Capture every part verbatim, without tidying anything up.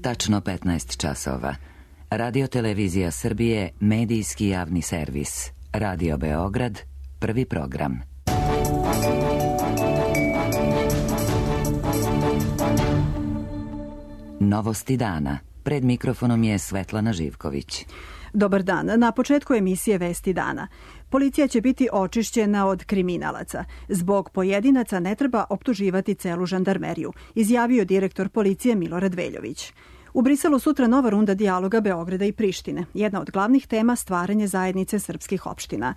tačno petnaest časova. Radio Televizija Srbije, medijski javni servis. Radio Beograd, prvi program. Novosti dana. Pred mikrofonom je Svetlana Živković. Dobar dan. Na početku emisije Vesti dana. Policija će biti očišćena od kriminalaca. Zbog pojedinaca ne treba optuživati celu žandarmeriju, izjavio direktor policije Milorad Veljović. U Briselu sutra nova runda dijaloga Beograda i Prištine. Jedna od glavnih tema stvaranje zajednice srpskih opština.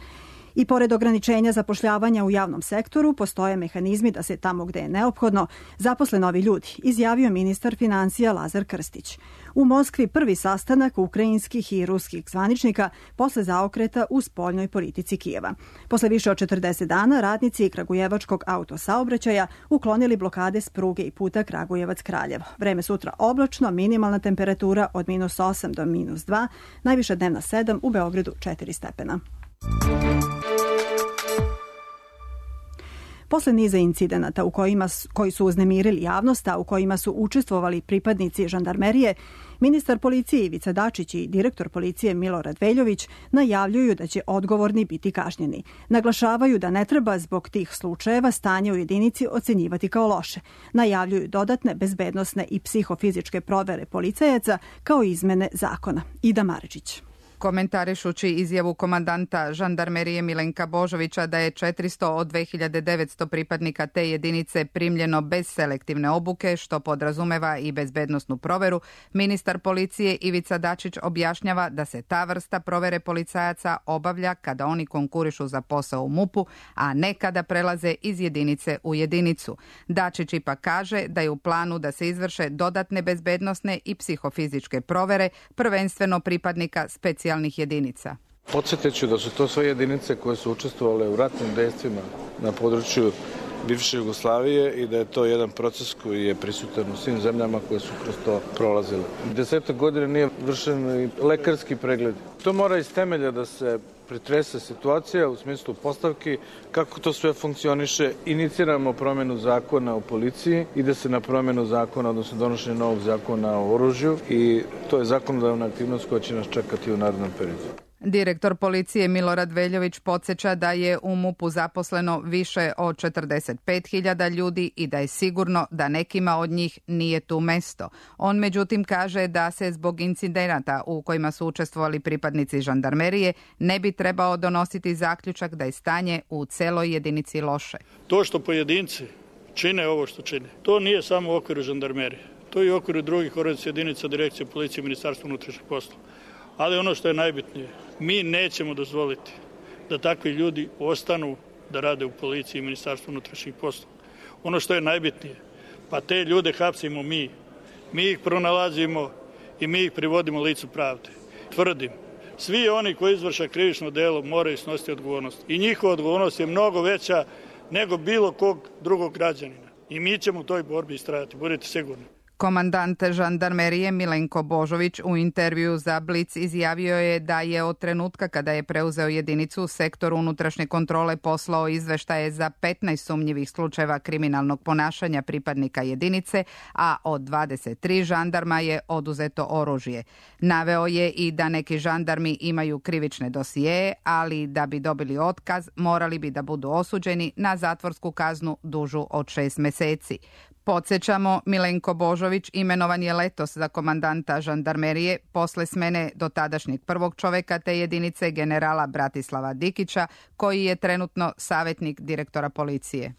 I pored ograničenja zapošljavanja u javnom sektoru, postoje mehanizmi da se tamo gde je neophodno zaposle novi ljudi, izjavio ministar financija Lazar Krstić. U Moskvi prvi sastanak ukrajinskih i ruskih zvaničnika posle zaokreta u spoljnoj politici Kijeva. Posle više od četrdeset dana radnici kragujevačkog autosaobraćaja uklonili blokade s pruge i puta Kragujevac-Kraljevo. Vreme sutra oblačno, minimalna temperatura od minus osam do minus dva, najviša dnevna sedam, u Beogradu četiri stepena. Posle niza incidenata u kojima, koji su uznemirili javnost, a u kojima su učestvovali pripadnici žandarmerije, ministar policije Ivica Dačić i direktor policije Milorad Veljović najavljuju da će odgovorni biti kažnjeni. Naglašavaju da ne treba zbog tih slučajeva stanje u jedinici ocenjivati kao loše. Najavljuju dodatne bezbednosne i psihofizičke provere policajaca kao izmene zakona. Ida Marečić. Komentarišući izjavu komandanta žandarmerije Milenka Božovića da je četiristo od dve hiljade devetsto pripadnika te jedinice primljeno bez selektivne obuke, što podrazumeva i bezbednosnu proveru, ministar policije Ivica Dačić objašnjava da se ta vrsta provere policajaca obavlja kada oni konkurišu za posao u MUP-u, a ne kada prelaze iz jedinice u jedinicu. Dačić ipak kaže da je u planu da se izvrše dodatne bezbednosne i psihofizičke provere, prvenstveno pripadnika specijalnih jedinica. Podsjetit ću da su to sve jedinice koje su učestvovale u ratnim dejstvima na području bivše Jugoslavije i da je to jedan proces koji je prisutan u svim zemljama koje su kroz to prolazile. Desetak godina nije vršen i lekarski pregled. To mora iz temelja da se pretrese situacija u smislu postavki, kako to sve funkcioniše. Iniciramo promjenu zakona o policiji, ide se na promjenu zakona, odnosno donošenje novog zakona o oružju i to je zakonodavna aktivnost koja će nas čekati u narednom periodu. Direktor policije Milorad Veljović podsjeća da je u MUP-u zaposleno više od četrdeset pet hiljada ljudi i da je sigurno da nekima od njih nije tu mesto. On međutim kaže da se zbog incidenata u kojima su učestvovali pripadnici žandarmerije ne bi trebao donositi zaključak da je stanje u celoj jedinici loše. To što pojedinci čine ovo što čine, to nije samo u okviru žandarmerije. To je i u okviru drugih organizacija jedinica, direkcije policije i Ministarstva unutrašnjih poslova. Ali ono što je najbitnije, mi nećemo dozvoliti da takvi ljudi ostanu da rade u policiji i Ministarstvu unutrašnjih poslova. Ono što je najbitnije, pa te ljude hapsimo mi. Mi ih pronalazimo i mi ih privodimo licu pravde. Tvrdim, svi oni koji izvrše krivično delo moraju snositi odgovornost. I njihova odgovornost je mnogo veća nego bilo kog drugog građanina. I mi ćemo u toj borbi istrajati, budite sigurni. Komandant žandarmerije Milenko Božović u intervju za Blic izjavio je da je od trenutka kada je preuzeo jedinicu u sektoru unutrašnje kontrole poslao izveštaje za petnaest sumnjivih slučajeva kriminalnog ponašanja pripadnika jedinice, a od dvadeset tri žandarma je oduzeto oružje. Naveo je i da neki žandarmi imaju krivične dosijeje, ali da bi dobili otkaz morali bi da budu osuđeni na zatvorsku kaznu dužu od šest meseci. Podsjećamo, Milenko Božović imenovan je letos za komandanta žandarmerije posle smene dotadašnjeg prvog čoveka te jedinice generala Bratislava Dikića, koji je trenutno savjetnik direktora policije.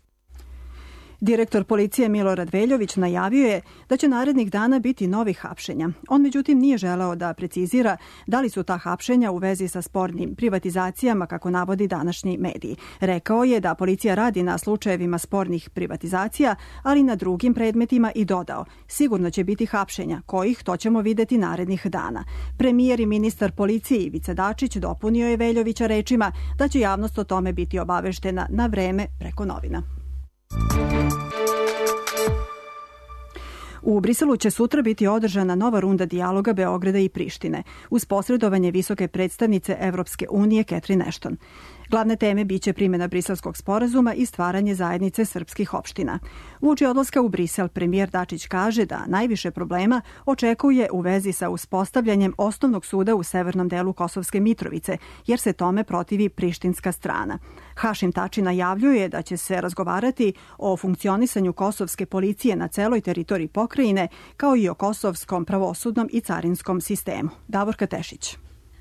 Direktor policije Milorad Veljović najavio je da će narednih dana biti novih hapšenja. On međutim nije želeo da precizira da li su ta hapšenja u vezi sa spornim privatizacijama, kako navodi današnji mediji. Rekao je da policija radi na slučajevima spornih privatizacija, ali na drugim predmetima i dodao: sigurno će biti hapšenja, kojih to ćemo videti narednih dana. Premijer i ministar policije Ivica Dačić dopunio je Veljovića rečima da će javnost o tome biti obaveštena na vreme preko novina. U Briselu će sutra biti održana nova runda dijaloga Beograda i Prištine uz posredovanje visoke predstavnice Evropske unije Catherine Ashton. Glavne teme biće primjena Briselskog sporazuma i stvaranje zajednice srpskih opština. Uoči odlaska u Brisel, premijer Dačić kaže da najviše problema očekuje u vezi sa uspostavljanjem osnovnog suda u severnom delu Kosovske Mitrovice, jer se tome protivi prištinska strana. Hašim Tači najavljuje da će se razgovarati o funkcionisanju kosovske policije na celoj teritoriji pokrajine, kao i o kosovskom pravosudnom i carinskom sistemu. Davorka Tešić.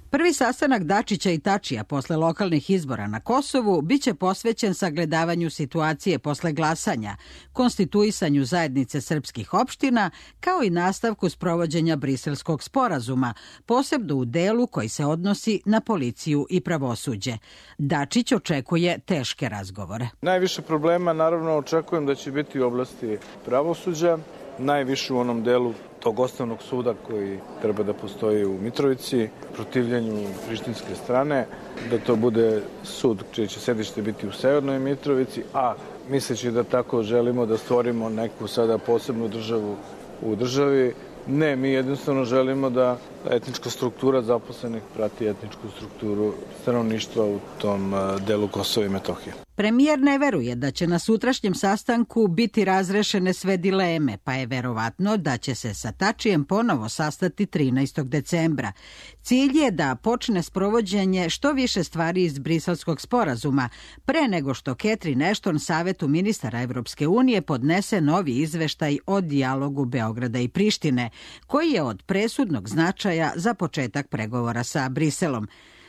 Prvi sastanak Dačića i Tačija posle lokalnih izbora na Kosovu biće posvećen sagledavanju situacije posle glasanja, konstituisanju zajednice srpskih opština, kao i nastavku sprovođenja Briselskog sporazuma, posebno u delu koji se odnosi na policiju i pravosuđe. Dačić očekuje teške razgovore. Najviše problema naravno očekujem da će biti u oblasti pravosuđa, najviše u onom delu tog osnovnog suda koji treba da postoji u Mitrovici, protivljenju prištinske strane, da to bude sud čije će sedište biti u severnoj Mitrovici, a misleći da tako želimo da stvorimo neku sada posebnu državu u državi. Ne, mi jednostavno želimo da etnička struktura zaposlenih prati etničku strukturu stanovništva u tom delu Kosova i Metohije. Premijer ne veruje da će na sutrašnjem sastanku biti razrešene sve dileme, pa je verovatno da će se sa Tačijem ponovo sastati trinaestog decembra. Cilj je da počne sprovođenje što više stvari iz Briselskog sporazuma, pre nego što Catherine Ashton Savetu ministara Evropske unije podnese novi izveštaj o dijalogu Beograda i Prištine, koji je od presudnog značaja za početak pregovora sa Briselom.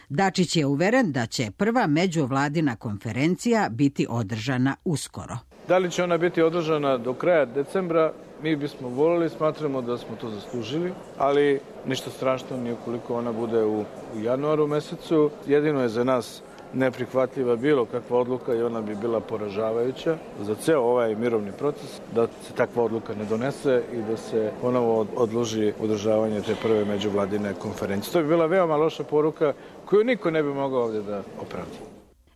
Dačić je uveren da će prva međuvladina konferencija biti održana uskoro. Da li će ona biti održana do kraja decembra? Mi bismo voljeli, smatramo da smo to zaslužili, ali ništa strašno nije ukoliko ona bude u, u januaru mesecu. Jedino je za nas neprihvatljiva bilo kakva odluka i ona bi bila poražavajuća za ceo ovaj mirovni proces, da se takva odluka ne donese i da se ponovo odloži održavanje te prve međuvladine konferencije. To bi bila veoma loša poruka koju niko ne bi mogao ovdje da opravdi.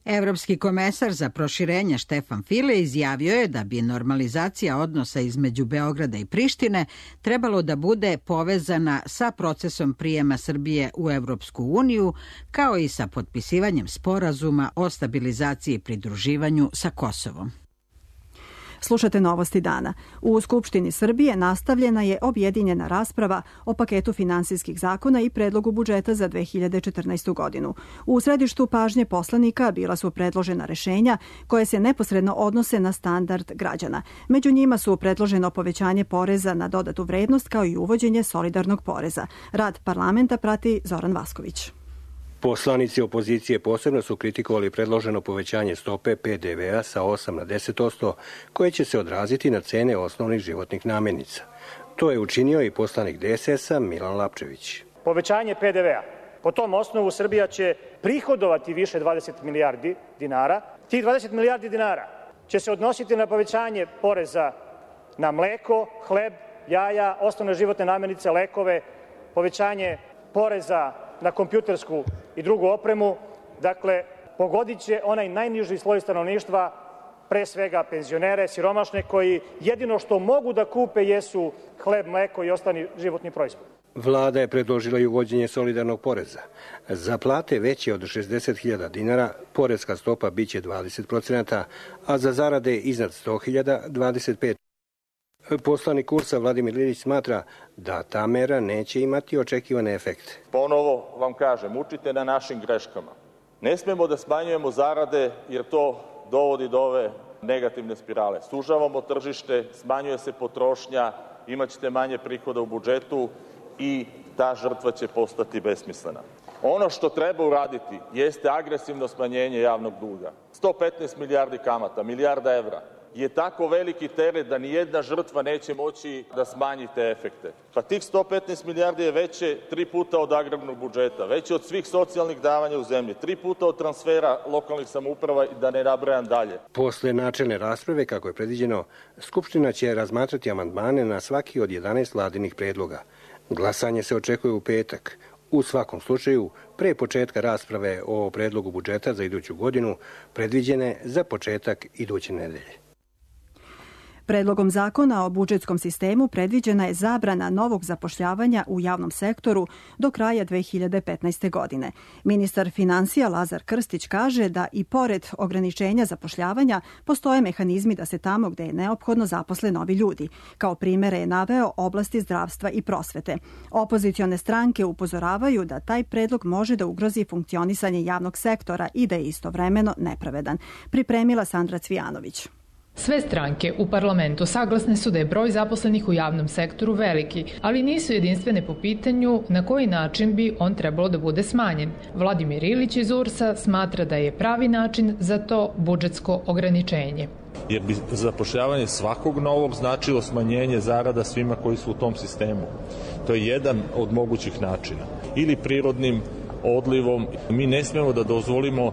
Evropski komesar za proširenje Štefan File izjavio je da bi normalizacija odnosa između Beograda i Prištine trebalo da bude povezana sa procesom prijema Srbije u Evropsku uniju, kao i sa potpisivanjem sporazuma o stabilizaciji i pridruživanju sa Kosovom. Slušate Novosti dana. U Skupštini Srbije nastavljena je objedinjena rasprava o paketu finansijskih zakona i predlogu budžeta za dve hiljade četrnaestu. godinu. U središtu pažnje poslanika bila su predložena rešenja koje se neposredno odnose na standard građana. Među njima su predloženo povećanje poreza na dodatu vrednost kao i uvođenje solidarnog poreza. Rad parlamenta prati Zoran Vasković. Poslanici opozicije posebno su kritikovali predloženo povećanje stope P D V A sa osam na deset posto, koje će se odraziti na cene osnovnih životnih namirnica. To je učinio i poslanik D S S-a Milan Lapčević. Povećanje P D V A. Po tom osnovu Srbija će prihodovati više dvadeset milijardi dinara. Tih dvadeset milijardi dinara će se odnositi na povećanje poreza na mleko, hleb, jaja, osnovne životne namirnice, lekove, povećanje poreza na kompjutersku i drugu opremu. Dakle, pogodit će onaj najniži sloj stanovništva, pre svega penzionere, siromašne, koji jedino što mogu da kupe jesu hleb, mleko i ostali životni proizvod. Vlada je predložila i uvođenje solidarnog poreza. Za plate veće od šezdeset hiljada dinara porezka stopa biće dvadeset procenata, a za zarade iznad sto hiljada dvadeset pet. Poslanik Kursa Vladimir Lilić smatra da ta mera neće imati očekivane efekte. Ponovo vam kažem, učite na našim greškama. Ne smemo da smanjujemo zarade jer to dovodi do ove negativne spirale. Sužavamo tržište, smanjuje se potrošnja, imat ćete manje prihoda u budžetu i ta žrtva će postati besmislena. Ono što treba uraditi jeste agresivno smanjenje javnog duga. sto petnaest milijardi kamata, milijarda evra je tako veliki teret da ni jedna žrtva neće moći da smanji te efekte. Pa tih sto petnaest milijardi je veće tri puta od agrarnog budžeta, veće od svih socijalnih davanja u zemlji, tri puta od transfera lokalnih samouprava i da ne nabrajam dalje. Posle načelne rasprave, kako je predviđeno, Skupština će razmatrati amandmane na svaki od jedanaest vladinih predloga. Glasanje se očekuje u petak. U svakom slučaju, pre početka rasprave o predlogu budžeta za iduću godinu predviđene za početak iduće nedelje. Predlogom zakona o budžetskom sistemu predviđena je zabrana novog zapošljavanja u javnom sektoru do kraja dve hiljade petnaeste. godine. Ministar finansija Lazar Krstić kaže da i pored ograničenja zapošljavanja postoje mehanizmi da se tamo gde je neophodno zaposle novi ljudi. Kao primere je naveo oblasti zdravstva i prosvete. Opozicione stranke upozoravaju da taj predlog može da ugrozi funkcionisanje javnog sektora i da je istovremeno nepravedan. Pripremila Sandra Cvijanović. Sve stranke u parlamentu saglasne su da je broj zaposlenih u javnom sektoru veliki, ali nisu jedinstvene po pitanju na koji način bi on trebalo da bude smanjen. Vladimir Ilić iz U R S-a smatra da je pravi način za to budžetsko ograničenje. Jer bi zapošljavanje svakog novog značilo smanjenje zarada svima koji su u tom sistemu. To je jedan od mogućih načina. Ili prirodnim odlivom. Mi ne smemo da dozvolimo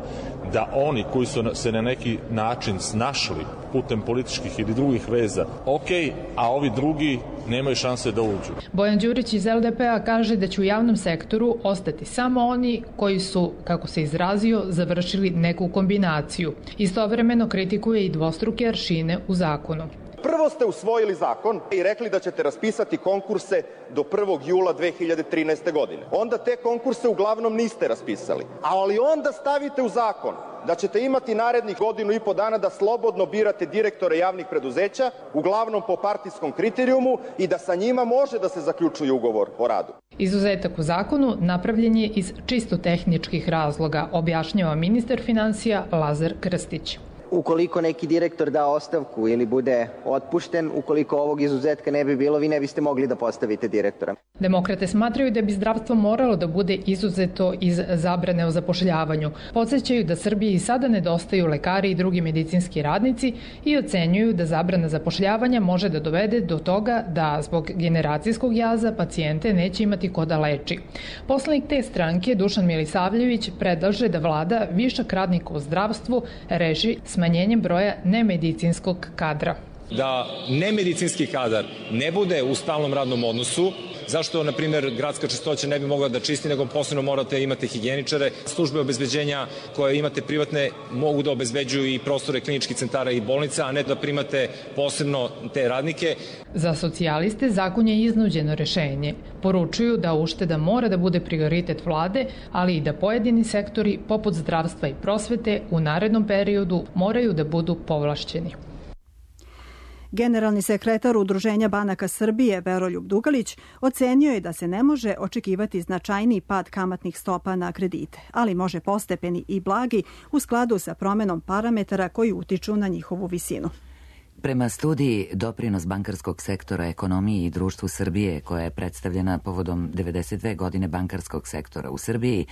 da oni koji su se na neki način snašli putem političkih ili drugih veza, ok, a ovi drugi nemaju šanse da uđu. Bojan Đurić iz L D P-a kaže da će u javnom sektoru ostati samo oni koji su, kako se izrazio, završili neku kombinaciju. Istovremeno kritikuje i dvostruke aršine u zakonu. Prvo ste usvojili zakon i rekli da ćete raspisati konkurse do prvog jula dve hiljade trinaeste. godine. Onda te konkurse uglavnom niste raspisali. Ali onda stavite u zakon da ćete imati narednih godinu i po dana da slobodno birate direktore javnih preduzeća, uglavnom po partijskom kriterijumu, i da sa njima može da se zaključuje ugovor o radu. Izuzetak u zakonu napravljen je iz čisto tehničkih razloga, objašnjava ministar finansija Lazar Krstić. Ukoliko neki direktor da ostavku ili bude otpušten, ukoliko ovog izuzetka ne bi bilo, vi ne biste mogli da postavite direktora. Demokrate smatraju da bi zdravstvo moralo da bude izuzeto iz zabrane o zapošljavanju. Podsećaju da Srbiji i sada nedostaju lekari i drugi medicinski radnici i ocenjuju da zabrana zapošljavanja može da dovede do toga da zbog generacijskog jaza pacijente neće imati ko da leči. Poslanik te stranke Dušan Milisavljević predlaže da vlada višak radnika u zdravstvu reši smanjenjem broja nemedicinskog kadra. Da nemedicinski kadar ne bude u stalnom radnom odnosu, zašto, na primjer, gradska čistoća ne bi mogla da čisti, nego posebno morate imate higijeničare. Službe obezbeđenja koje imate privatne mogu da obezbeđuju i prostore kliničkih centara i bolnica, a ne da primate posebno te radnike. Za socijaliste zakon je iznuđeno rešenje. Poručuju da ušteda mora da bude prioritet vlade, ali i da pojedini sektori, poput zdravstva i prosvete, u narednom periodu moraju da budu povlašćeni. Generalni sekretar Udruženja banaka Srbije Veroljub Dugalić ocenio je da se ne može očekivati značajniji pad kamatnih stopa na kredite, ali može postepeni i blagi u skladu sa promenom parametara koji utiču na njihovu visinu. Prema studiji Doprinos bankarskog sektora ekonomiji i društvu Srbije, koja je predstavljena povodom devedeset dve godine bankarskog sektora u Srbiji,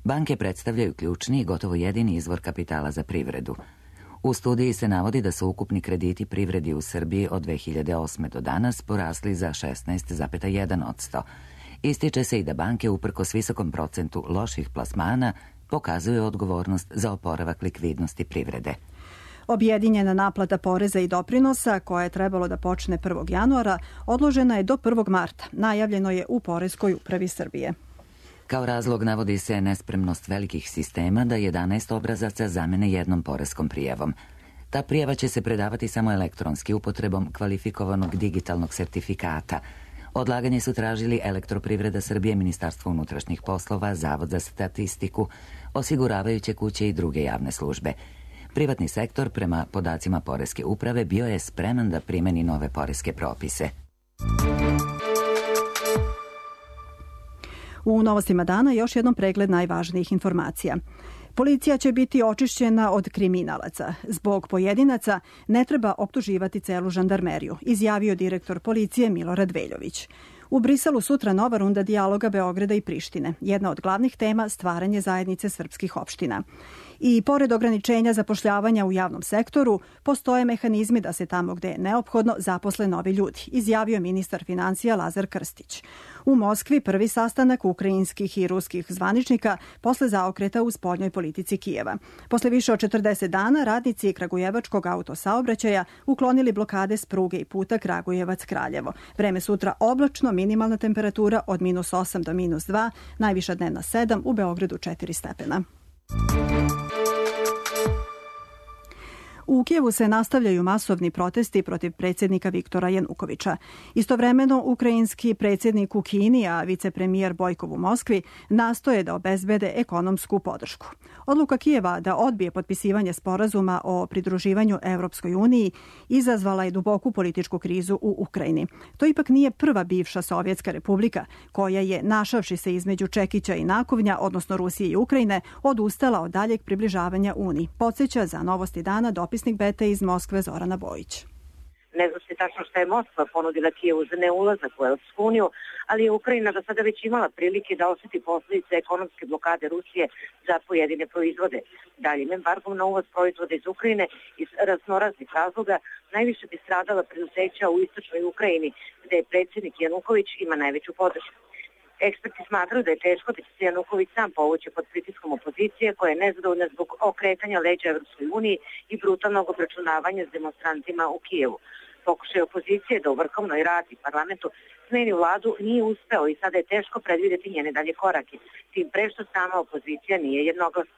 banke predstavljaju ključni i gotovo jedini izvor kapitala za privredu. U studiji se navodi da su ukupni krediti privredi u Srbiji od dve hiljade osme. do danas porasli za šesnaest zarez jedan posto. Ističe se i da banke, uprkos visokom procentu loših plasmana, pokazuju odgovornost za oporavak likvidnosti privrede. Objedinjena naplata poreza i doprinosa, koja je trebalo da počne prvog januara, odložena je do prvog marta. Najavljeno je u Poreskoj upravi Srbije. Kao razlog navodi se nespremnost velikih sistema da jedanaest obrazaca zamene jednom poreskom prijavom. Ta prijava će se predavati samo elektronski upotrebom kvalifikovanog digitalnog sertifikata. Odlaganje su tražili Elektroprivreda Srbije, Ministarstvo unutrašnjih poslova, Zavod za statistiku, osiguravajuće kuće i druge javne službe. Privatni sektor, prema podacima Poreske uprave, bio je spreman da primeni nove poreske propise. U novostima dana još jednom pregled najvažnijih informacija. Policija će biti očišćena od kriminalaca. Zbog pojedinaca ne treba optuživati celu žandarmeriju, izjavio direktor policije Milorad Veljović. U Briselu sutra nova runda dijaloga Beograda i Prištine. Jedna od glavnih tema stvaranje zajednice srpskih opština. I pored ograničenja zapošljavanja u javnom sektoru, postoje mehanizmi da se tamo gde je neophodno zaposle novi ljudi, izjavio ministar finansija Lazar Krstić. U Moskvi prvi sastanak ukrajinskih i ruskih zvaničnika posle zaokreta u spoljnoj politici Kijeva. Posle više od četrdeset dana radnici kragujevačkog autosaobraćaja uklonili blokade s pruge i puta Kragujevac-Kraljevo. Vreme sutra oblačno, minimalna temperatura od minus osam do minus dva, najviša dnevna sedam, u Beogradu četiri stepena. U Kijevu se nastavljaju masovni protesti protiv predsjednika Viktora Janukovića. Istovremeno, ukrajinski predsjednik u Kini, a vicepremijer Bojkov u Moskvi, nastoje da obezbede ekonomsku podršku. Odluka Kijeva da odbije potpisivanje sporazuma o pridruživanju Evropskoj uniji izazvala je duboku političku krizu u Ukrajini. To ipak nije prva bivša Sovjetska republika koja je, našavši se između čekića i nakovnja, odnosno Rusije i Ukrajine, odustala od daljeg približavanja Uniji. Podsjeća za Novosti dana dopisnik Bete iz Moskve Zorana Bojić. Ne zna se tačno šta je Moskva ponudila Kijevu za neulazak u Evropsku uniju, ali je Ukrajina do sada već imala prilike da osjeti posljedice ekonomske blokade Rusije za pojedine proizvode. Daljim embargom na uvoz proizvoda iz Ukrajine iz raznoraznih razloga najviše bi stradala preduzeća u istočnoj Ukrajini, gde je predsjednik Januković ima najveću podršku. Eksperti smatraju da je teško da će se Januković sam povući pod pritiskom opozicije koja je nezadovoljna zbog okretanja leđa Evropskoj uniji i brutalnog obračunavanja s demonstrantima u Kijevu. Pokušaj opozicije da u Vrhovnoj radi parlamentu smeni vladu nije uspeo i sada je teško predvidjeti njene dalje korake, tim pre što sama opozicija nije jednoglasna.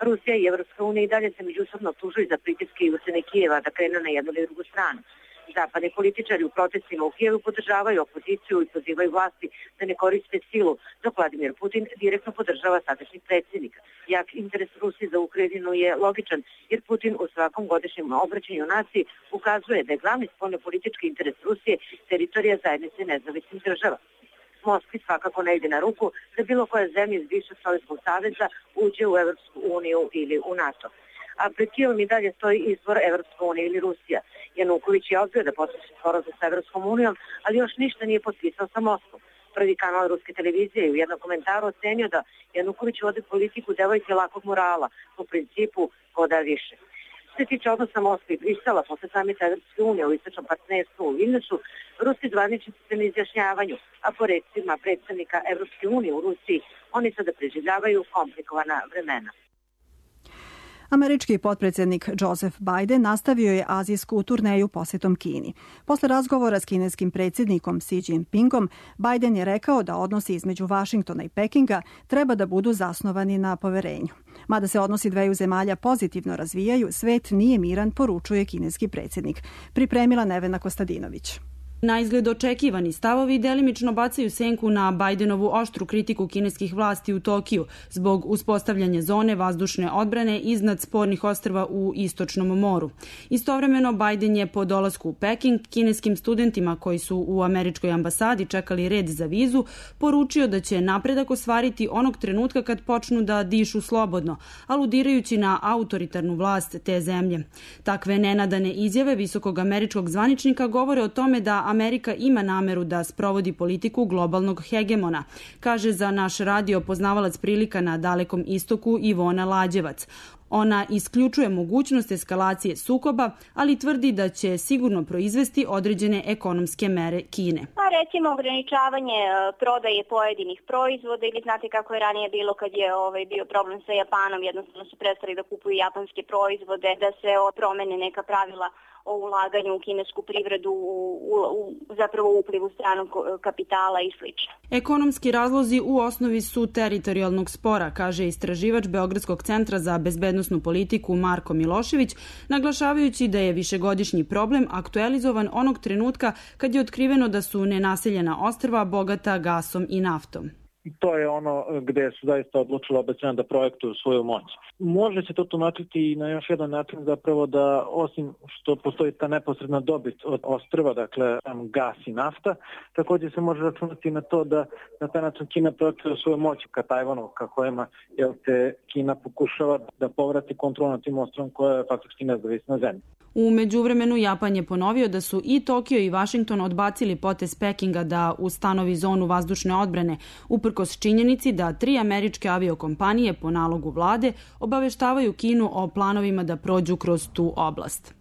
Rusija i Evropska unija i dalje se međusobno optužuju za pritiske i ucene Kijeva da krenu na jednu ili drugu stranu. Zapadni političari u protestima u Kijevu podržavaju opoziciju i pozivaju vlasti da ne koriste silu, dok Vladimir Putin direktno podržava sadašnjeg predsjednika. Jak interes Rusije za Ukrajinu je logičan, jer Putin u svakom godišnjem obraćanju naciji ukazuje da je glavni spoljnopolitički interes Rusije teritorija zajednice nezavisnih država. Moskvi svakako ne ide na ruku da bilo koja zemlja iz bivšeg Sovjetskog saveza uđe u Evropsku uniju ili u NATO. A pred Kijevom i dalje stoji izbor Evropska unija ili Rusija. Januković je odbio da potpiše sporazum sa Evropskom unijom, ali još ništa nije potpisao sa Moskvom. Prvi kanal ruske televizije je u jednom komentaru ocenio da Januković vodi politiku devojke lakog morala, po principu ko da više. Što se tiče odnosa Moskve i Brisela posle samita Evropske unije u istočnom partnerstvu u Vilniusu, ruski zvaničnici se ne izjašnjavaju, a po recima predstavnika Evropske unije u Rusiji oni sada preživljavaju komplikovana vremena. Američki potpredsjednik Joseph Biden nastavio je azijsku turneju posjetom Kini. Posle razgovora s kineskim predsjednikom Xi Jinpingom, Biden je rekao da odnosi između Vašingtona i Pekinga treba da budu zasnovani na poverenju. Mada se odnosi dveju zemalja pozitivno razvijaju, svet nije miran, poručuje kineski predsjednik. Pripremila Nevena Kostadinović. Na izgled očekivani stavovi delimično bacaju senku na Bidenovu oštru kritiku kineskih vlasti u Tokiju zbog uspostavljanja zone vazdušne odbrane iznad spornih ostrva u Istočnom moru. Istovremeno, Biden je po dolasku u Peking kineskim studentima koji su u američkoj ambasadi čekali red za vizu poručio da će napredak ostvariti onog trenutka kad počnu da dišu slobodno, aludirajući na autoritarnu vlast te zemlje. Takve nenadane izjave visokog američkog zvaničnika govore o tome da Amerika ima nameru da sprovodi politiku globalnog hegemona, kaže za naš radio poznavalac prilika na Dalekom istoku Ivona Lađevac. Ona isključuje mogućnost eskalacije sukoba, ali tvrdi da će sigurno proizvesti određene ekonomske mere Kine. Pa recimo ograničavanje prodaje pojedinih proizvoda ili znate kako je ranije bilo kad je ovaj, bio problem sa Japanom, jednostavno su prestali da kupuju japanske proizvode, da se promene neka pravila o ulaganju u kinesku privredu, u, u, u zapravo uplivu stranog kapitala i slično. Ekonomski razlozi u osnovi su teritorijalnog spora, kaže istraživač Beogradskog centra za bezbednosnu politiku Marko Milošević, naglašavajući da je višegodišnji problem aktualizovan onog trenutka kad je otkriveno da su nenaseljena ostrva bogata gasom i naftom. I to je ono gde su zaista odlučili obećanja da projektuju svoju moć. Može se to tumačiti i na još jedan način zapravo da osim što postoji ta neposredna dobit od ostrva, dakle sam gas i nafta, također se može računati na to da na taj način Kina projektuje svoju moć ka Tajvanu, ka kojima jel te Kina pokušava da povrati kontrol nad tim ostrovom koja je faktički nezavisna zemlja. U međuvremenu Japan je ponovio da su i Tokio i Vašington odbacili potez Pekinga da ustanovi zonu vazdušne odbrane, uprkos činjenici da tri američke aviokompanije po nalogu vlade obaveštavaju Kinu o planovima da prođu kroz tu oblast.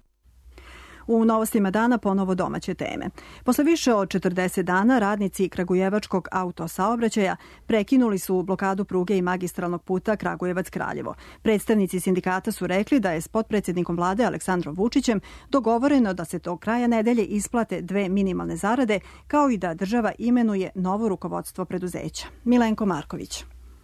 U Novostima dana ponovo domaće teme. Posle više od četrdeset dana radnici Kragujevačkog autosaobraćaja prekinuli su blokadu pruge i magistralnog puta Kragujevac-Kraljevo. Predstavnici sindikata su rekli da je s potpredsjednikom vlade Aleksandrom Vučićem dogovoreno da se do kraja nedelje isplate dve minimalne zarade, kao i da država imenuje novo rukovodstvo preduzeća. Milenko Marković.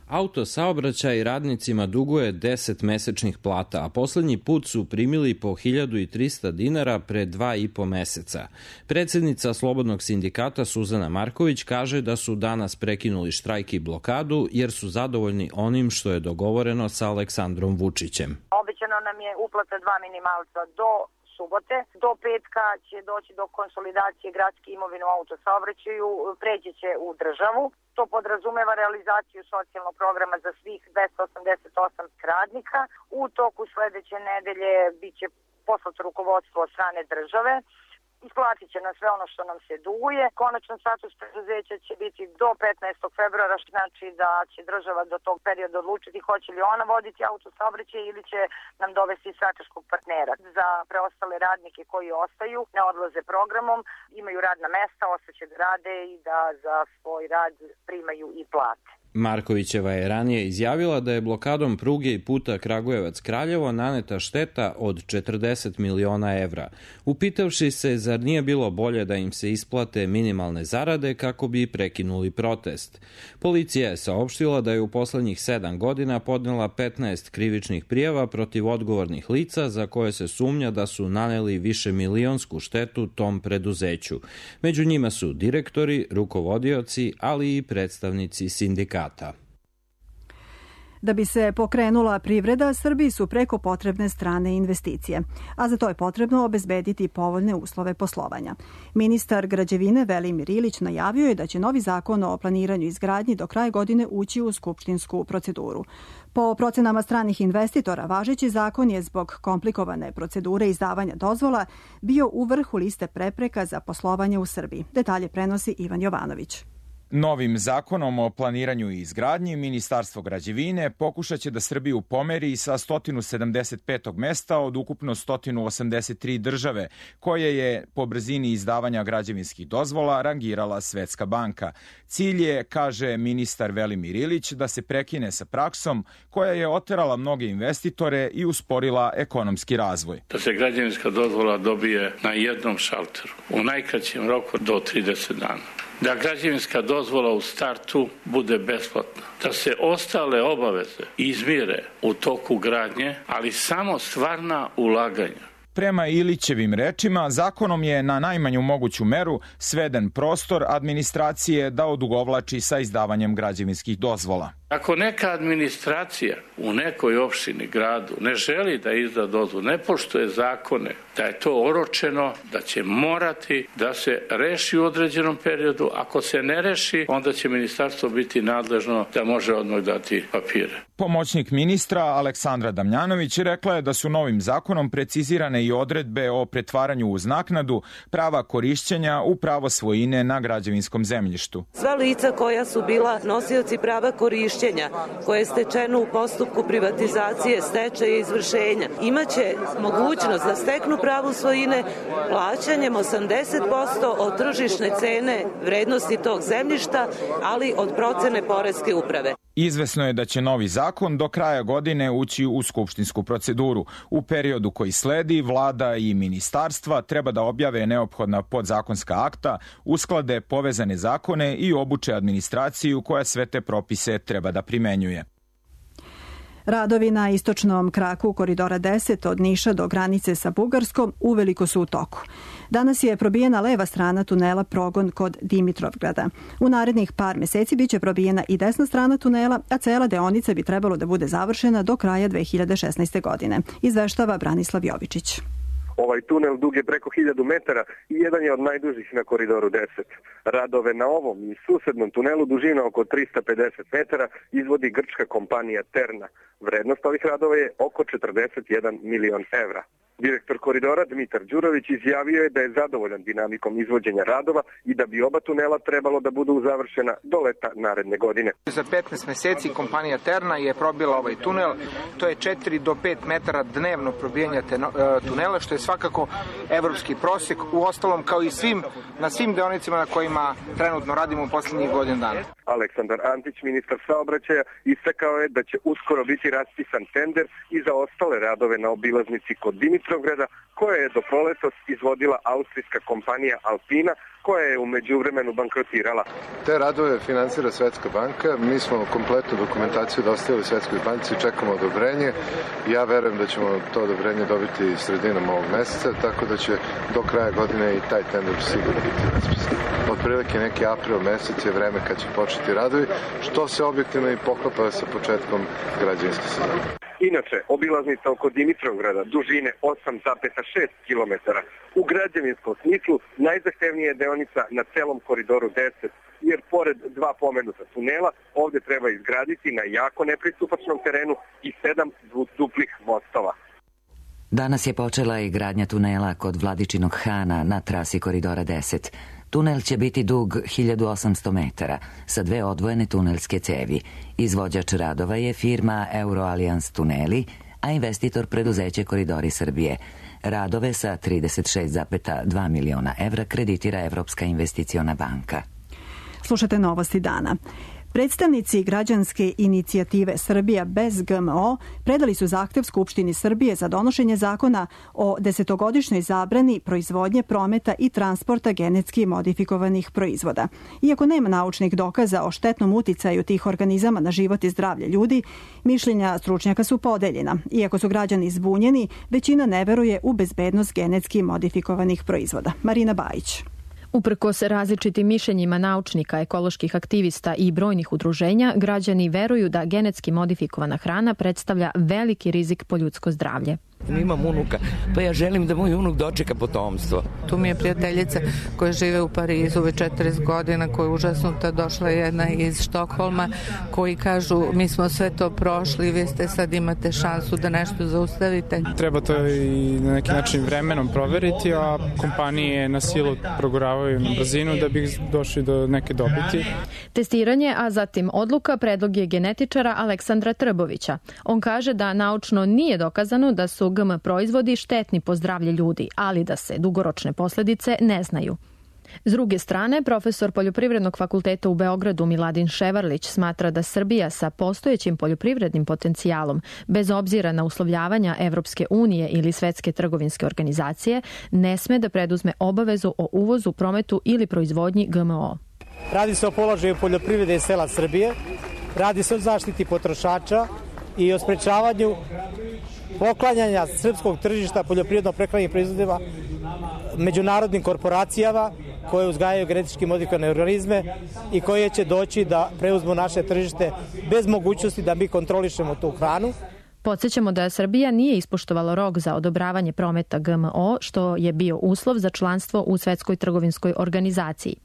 Autosaobraćaj radnicima duguje deset mesečnih plata, a poslednji put su primili po hiljadu trista dinara pre dva i po meseca. Predsednica Slobodnog sindikata Suzana Marković kaže da su danas prekinuli štrajk i blokadu jer su zadovoljni onim što je dogovoreno sa Aleksandrom Vučićem. Obećano nam je uplata dva minimalca do subote. Do petka će doći do konsolidacije gradske imovine u autosaobraćaju, preći će u državu. To podrazumeva realizaciju socijalnog programa za svih dvesta osamdeset osam radnika. U toku sledeće nedelje biće poslato rukovodstvo od strane države. Isplatit će nam sve ono što nam se duguje. Konačan status preduzeća će biti do petnaestog februara, što znači da će država do tog perioda odlučiti hoće li ona voditi autosaobraćaj ili će nam dovesti strateškog partnera. Za preostale radnike koji ostaju, ne odlaze programom, imaju radna mesta, ostaće da rade i da za svoj rad primaju i plate. Markovićeva je ranije izjavila da je blokadom pruge i puta Kragujevac-Kraljevo naneta šteta od četrdeset miliona evra. Upitavši se zar nije bilo bolje da im se isplate minimalne zarade kako bi prekinuli protest. Policija je saopštila da je u poslednjih sedam godina podnela petnaest krivičnih prijava protiv odgovornih lica za koje se sumnja da su naneli višemilionsku štetu tom preduzeću. Među njima su direktori, rukovodioci, ali i predstavnici sindikata. Da bi se pokrenula privreda, Srbiji su preko potrebne strane investicije, a za to je potrebno obezbediti povoljne uslove poslovanja. Ministar građevine Velimir Ilić najavio je da će novi zakon o planiranju i izgradnji do kraja godine ući u skupštinsku proceduru. Po procenama stranih investitora, važeći zakon je zbog komplikovane procedure izdavanja dozvola bio u vrhu liste prepreka za poslovanje u Srbiji. Detalje prenosi Ivan Jovanović. Novim zakonom o planiranju i izgradnji Ministarstvo građevine pokušat će da Srbiju pomeri sa sto sedamdeset petog mesta od ukupno sto osamdeset tri države, koje je po brzini izdavanja građevinskih dozvola rangirala Svetska banka. Cilj je, kaže ministar Velimir Ilić, da se prekine sa praksom koja je oterala mnoge investitore i usporila ekonomski razvoj. Da se građevinska dozvola dobije na jednom šalteru, u najkraćem roku do trideset dana. Da građevinska dozvola u startu bude besplatna. Da se ostale obaveze izmire u toku gradnje, ali samo stvarna ulaganja. Prema Ilićevim rečima, zakonom je na najmanju moguću meru sveden prostor administracije da odugovlači sa izdavanjem građevinskih dozvola. Ako neka administracija u nekoj opštini, gradu, ne želi da izda dozvolu, ne poštuje zakone, da je to oročeno, da će morati da se reši u određenom periodu. Ako se ne reši, onda će ministarstvo biti nadležno da može odmah dati papire. Pomoćnik ministra Aleksandra Damjanović rekla je da su novim zakonom precizirane i odredbe o pretvaranju uz naknadu prava korišćenja u pravo svojine na građevinskom zemljištu. Sva lica koja su bila nosioci prava korišćenja koje je stečeno u postupku privatizacije, stečaja i izvršenja, imaće mogućnost da steknu pravo svojine plaćanjem osamdeset posto od tržišne cene vrednosti tog zemljišta, ali od procene poreske uprave. Izvesno je da će novi zakon do kraja godine ući u skupštinsku proceduru. U periodu koji sledi, vlada i ministarstva treba da objave neophodna podzakonska akta, usklade povezane zakone i obuče administraciju koja sve te propise treba da primenjuje. Radovi na istočnom kraku Koridora deset od Niša do granice sa Bugarskom uveliko su u toku. Danas je probijena leva strana tunela Progon kod Dimitrovgrada. U narednih par meseci biće probijena i desna strana tunela, a cela deonica bi trebalo da bude završena do kraja dve hiljade šesnaeste. godine. Izveštava Branislav Jovičić. Ovaj tunel dug je preko hiljadu metara i jedan je od najdužih na Koridoru deset. Radove na ovom i susednom tunelu dužina oko trista pedeset metara izvodi grčka kompanija Terna. Vrednost ovih radova je oko četrdeset jedan milion evra. Direktor koridora Dmitar Đurović izjavio je da je zadovoljan dinamikom izvođenja radova i da bi oba tunela trebalo da budu završena do leta naredne godine. Za petnaest meseci kompanija Terna je probila ovaj tunel. To je četiri do pet metara dnevno probijanja tunela, što je svakako evropski prosek, u ostalom kao i svim, na svim deonicama na kojima trenutno radimo u poslednjih godinu dana. Aleksandar Antić, ministar saobraćaja, istakao je da će uskoro biti raspisan tender i za ostale radove na obilaznici kod Dimitrov Dimitrovgrada, koje je do proletos izvodila austrijska kompanija Alpina, koja je u međuvremenu bankrotirala. Te radove finansira Svetska banka, mi smo kompletnu dokumentaciju dostavili Svetskoj banci i čekamo odobrenje. Ja verujem da ćemo to odobrenje dobiti sredinom ovog meseca, tako da će do kraja godine i taj tender sigurno biti raspisan. Otprilike neki april mesec je vreme kad će početi radovi, što se objektivno i poklapa sa početkom građevinske sezone. Inače, obilaznica oko Dimitrovgrada dužine osam zarez šest kilometara u građevinskom smislu najzahtevnija je deonica na celom koridoru deset, jer pored dva pomenuta tunela ovde treba izgraditi na jako nepristupačnom terenu i sedam duplih mostova. Danas je počela i gradnja tunela kod Vladičinog Hana na trasi koridora deset. Tunel će biti dug hiljadu osamsto metara sa dve odvojene tunelske cevi. Izvođač radova je firma Euroalliance Tuneli, a investitor preduzeće Koridori Srbije. Radove sa trideset šest zarez dva miliona evra kreditira Evropska investiciona banka. Slušate novosti dana. Predstavnici građanske inicijative Srbija bez G M O predali su zahtev Skupštini Srbije za donošenje zakona o desetogodišnjoj zabrani proizvodnje, prometa i transporta genetski modifikovanih proizvoda. Iako nema naučnih dokaza o štetnom uticaju tih organizama na život i zdravlje ljudi, mišljenja stručnjaka su podeljena. Iako su građani zbunjeni, većina ne veruje u bezbednost genetski modifikovanih proizvoda. Marina Bajić. Uprkos različitim mišljenjima naučnika, ekoloških aktivista i brojnih udruženja, građani veruju da genetski modifikovana hrana predstavlja veliki rizik po ljudsko zdravlje. Imam unuka, pa ja želim da moj unuk dočeka potomstvo. Tu mi je prijateljica koja žive u Parizu već četrdeset godina, koja je užasnuta, došla jedna iz Štokholma, koji kažu mi smo sve to prošli, vi ste sad imate šansu da nešto zaustavite. Treba to i na neki način vremenom proveriti, a kompanije na silu proguravaju na brzinu da bi došli do neke dobiti. Testiranje, a zatim odluka, predlog je genetičara Aleksandra Trbovića. On kaže da naučno nije dokazano da su G M proizvodi štetni po zdravlje ljudi, ali da se dugoročne posledice ne znaju. S druge strane, profesor Poljoprivrednog fakulteta u Beogradu Miladin Ševarlić smatra da Srbija sa postojećim poljoprivrednim potencijalom, bez obzira na uslovljavanja Evropske unije ili Svetske trgovinske organizacije, ne sme da preduzme obavezu o uvozu, prometu ili proizvodnji G M O. Radi se o položaju poljoprivrede i sela Srbije, radi se o zaštiti potrošača i o sprečavanju poklanjanja srpskog tržišta poljoprivredno-prehrambenih proizvodima međunarodnim korporacijama koje uzgajaju genetički modifikovane organizme i koje će doći da preuzmu naše tržište bez mogućnosti da mi kontrolišemo tu hranu. Podsjećamo da Srbija nije ispoštovala rok za odobravanje prometa G M O, što je bio uslov za članstvo u Svetskoj trgovinskoj organizaciji.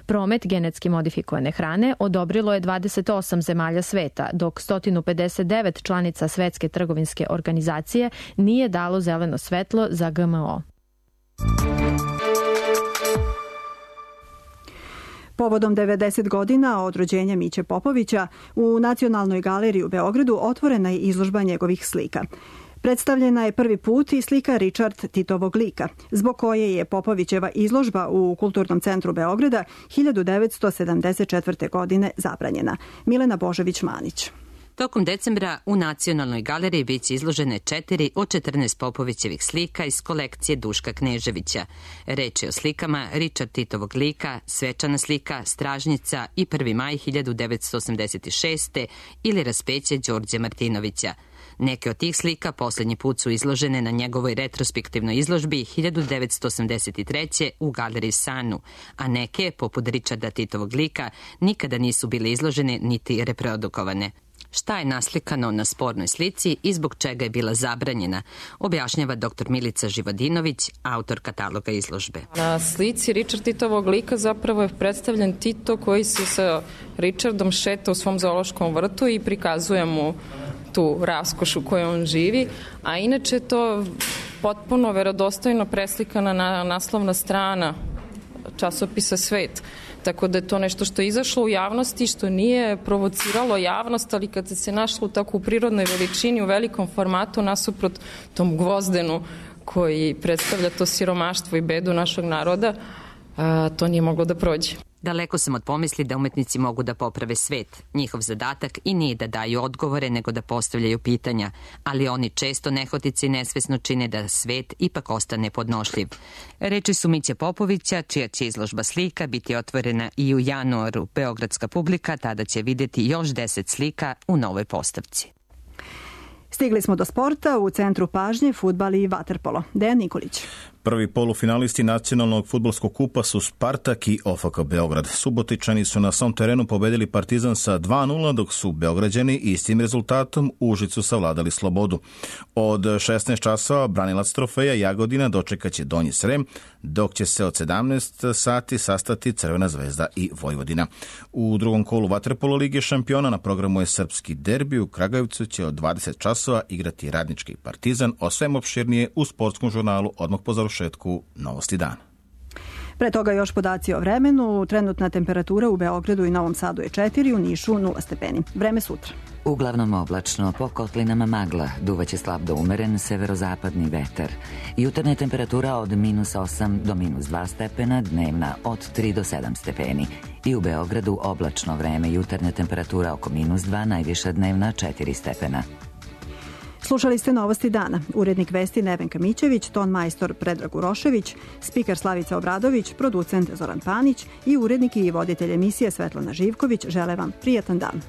Promet genetski modifikovane hrane odobrilo je dvadeset osam zemalja sveta, dok sto pedeset devet članica Svetske trgovinske organizacije nije dalo zeleno svetlo za G M O. Povodom devedeset godina od rođenja Miće Popovića, u Nacionalnoj galeriji u Beogradu otvorena je izložba njegovih slika. Predstavljena je prvi put i slika Richard Titovog lika, zbog koje je Popovićeva izložba u Kulturnom centru Beograda hiljadu devetsto sedamdeset četvrte. godine zabranjena. Milena Božović-Manić. Tokom decembra u Nacionalnoj galeriji biće izložene četiri od četrnaest Popovićevih slika iz kolekcije Duška Kneževića. Reč je o slikama Richard Titovog lika, Svečana slika, Stražnjica i prvi maj hiljadu devetsto osamdeset šeste. ili Raspeće Đorđe Martinovića. Neke od tih slika poslednji put su izložene na njegovoj retrospektivnoj izložbi hiljadu devetsto osamdeset treće. u galeriji Sanu, a neke, poput Richarda Titovog lika, nikada nisu bile izložene niti reprodukovane. Šta je naslikano na spornoj slici i zbog čega je bila zabranjena, objašnjava dr Milica Živodinović, autor kataloga izložbe. Na slici Richard Titovog lika zapravo je predstavljen Tito koji se sa Richardom šeta u svom zoološkom vrtu i prikazuje mu tu raskoš u kojoj on živi, a inače to potpuno verodostojno preslikana na naslovna strana časopisa Svet. Tako da je to nešto što je izašlo u javnosti, što nije provociralo javnost, ali kad se našlo tako u prirodnoj veličini, u velikom formatu, nasuprot tom Gvozdenu koji predstavlja to siromaštvo i bedu našeg naroda, to nije moglo da prođe. Daleko sam od pomisli da umetnici mogu da poprave svet. Njihov zadatak i nije da daju odgovore, nego da postavljaju pitanja, ali oni često nehotice i nesvesno čine da svet ipak ostane podnošljiv. Reči su Miće Popovića, čija će izložba slika biti otvorena i u januaru. Beogradska publika tada će vidjeti još deset slika u novoj postavci. Stigli smo do sporta, u centru pažnje fudbal i vaterpolo. Dejan Nikolić. Prvi polufinalisti nacionalnog fudbalskog kupa su Spartak i O F K Beograd. Subotičani su na svom terenu pobedili Partizan sa dva nula, dok su Beograđani istim rezultatom u Užicu savladali Slobodu. Od šesnaest časova branilac trofeja Jagodina dočekaće Donji Srem, dok će se od sedamnaest sati sastati Crvena zvezda i Vojvodina. U drugom kolu vaterpolo Lige šampiona na programu je srpski derbi. U Kragujevcu će od dvadeset časova igrati Radnički Partizan, o svem opširnije u sportskom žurnalu odmah po završetku Novosti dana. Pre toga još podaci o vremenu. Trenutna temperatura u Beogradu i Novom Sadu je četiri, u Nišu nula stepeni. Vreme sutra. Uglavnom oblačno, po kotlinama magla, duvaće slab do umeren severozapadni vetar. Jutarnja temperatura od minus osam do minus dva stepena, dnevna od tri do sedam stepeni. I u Beogradu oblačno vreme, jutarnja temperatura oko minus dva, najviša dnevna četiri stepena. Slušali ste Novosti dana. Urednik vesti Nevenka Mićević, ton majstor Predrag Urošević, spiker Slavica Obradović, producent Zoran Panić i urednik i voditelj emisije Svetlana Živković žele vam prijatan dan.